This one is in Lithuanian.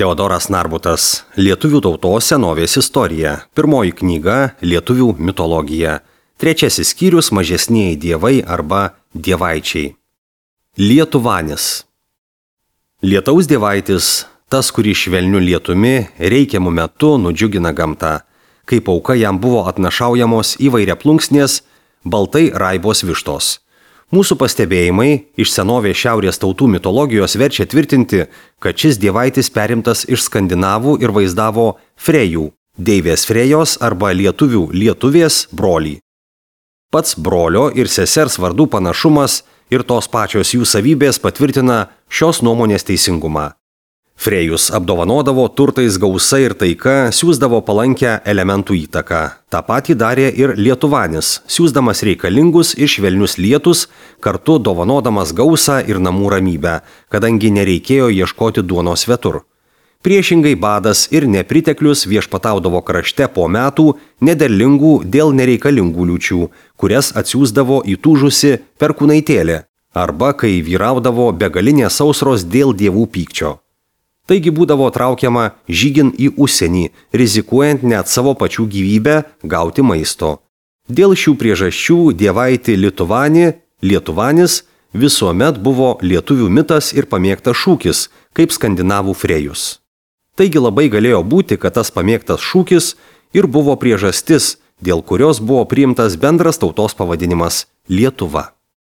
Teodoras Narbutas. Lietuvių tautos senovės istorija. Pirmoji knyga Lietuvių mitologija. Trečiasis skyrius Mažesnieji dievai arba dievaičiai. Lietuvanis. Lietaus dievaitis, tas, kurį švelniu lietumi reikiamų metu nudžiugina gamtą. Kaip auka jam buvo atnašaujamos įvairiaplunksnės, baltai raibos vištos. Mūsų pastebėjimai iš senovės šiaurės tautų mitologijos verčia tvirtinti, kad šis dievaitis perimtas iš skandinavų ir vaizdavo Frejų, deivės Frejos arba lietuvių lietuvės brolį. Pats brolio ir sesers vardų panašumas ir tos pačios jų savybės patvirtina šios nuomonės teisingumą. Frejus apdovanodavo turtais gausa ir taika, siųsdavo palankę elementų įtaką. Ta patį darė ir Lietuvanis, siųsdamas reikalingus ir švelnius lietus, kartu dovanodamas gausą ir namų ramybę, kadangi nereikėjo ieškoti duonos svetur. Priešingai badas ir nepriteklius viešpataudavo krašte po metų nederlingų dėl nereikalingų liūčių, kurias atsiųsdavo įtūžusi perkūnaitėlė, arba kai vyraudavo begalinės sausros dėl dievų pykčio. Taigi būdavo traukiama žygin į užsienį, rizikuojant net savo pačių gyvybę gauti maisto. Dėl šių priežasčių dievaitį Lietuvanis visuomet buvo lietuvių mitas ir pamėgtas šūkis, kaip skandinavų Frejus. Taigi labai galėjo būti, kad tas pamėgtas šūkis ir buvo priežastis, dėl kurios buvo priimtas bendras tautos pavadinimas Lietuva.